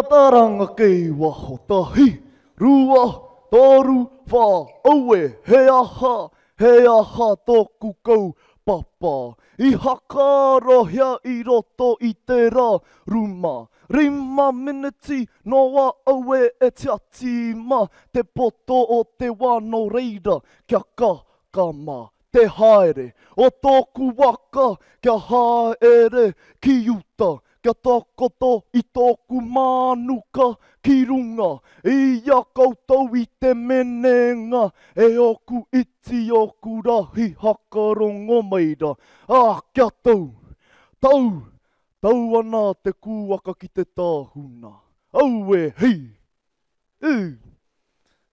Mataranga kei waho tahi, rua, toru, whā, aue, he aha, he aha tōku kaupapa i hakarohia i roto i tērā ruma. Rima meneti noa aue e tiati ma te poto o te wā nō reira kia kakama te haere o tōku waka kia haere ki uta kia takoto i tōku mānuka ki runga i a koutou i te menenga e ōku iti ōku rahi hakarongo mai ra, ā, kia tau, tau, tau ana te kūaka ki te tāhuna. Aue, hei! Ū!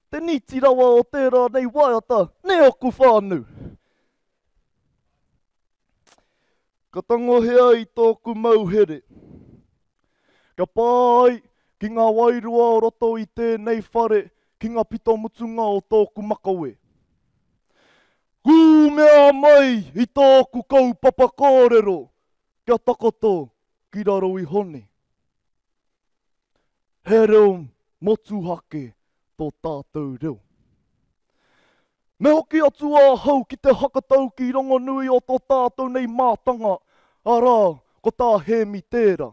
Te nīti rawa o tērā nei waiata, nē ōku whānau? Ka tangohia i tōku mauhere. Kia pā ai ki ngā wairua o roto i tēnei whare ki ngā pito mutunga o tōku makawe. Kūmea mai i tōku kaupapa kōrero kia takoto ki raro iho nei. He reo motuhake tō tātou reo. Me hoki atu ahau ki te hakataukī rongonui o tō tātou nei mātanga, arā, ko tā Hēmi tērā,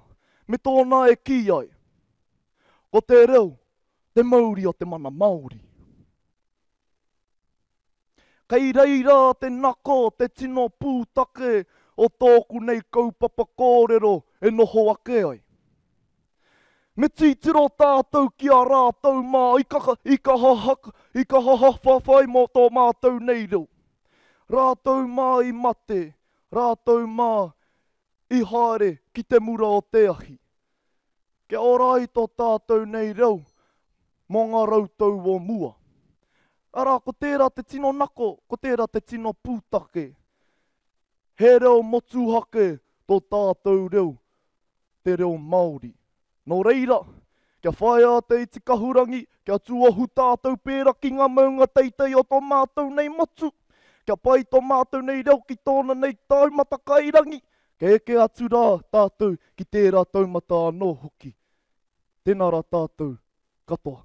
me tōna e kī ai, Ko te reo te mauri o te mana Māori. Kei reira te nako, te tino pūtake o tōku nei kaupapa kōrero e noho ake ai. Me titiro tātou ki a rātou mā i kaha, i kaha, i kaha whawhai mō tō mātou nei reo. Rātou mā i mate, rātou mā i haere ki te mura o te ahi. Kia ora ai tō tātou nei reo mō ngā rautau o mua. Arā, ko tērā te tino nako, ko tērā te tino pūtake. He reo motuhake tō tātou reo, te reo Māori. Nō reira, kia whaia te iti kahurangi, kia tuohu tātou pērā ki ngā maunga teitei o tō mātou nei motu, kia pai tō mātou nei reo ki tōna nei taumata kairangi, kia eke atu rā tātou ki tērā taumata anō hoki. Tēnā rā tātou katoa.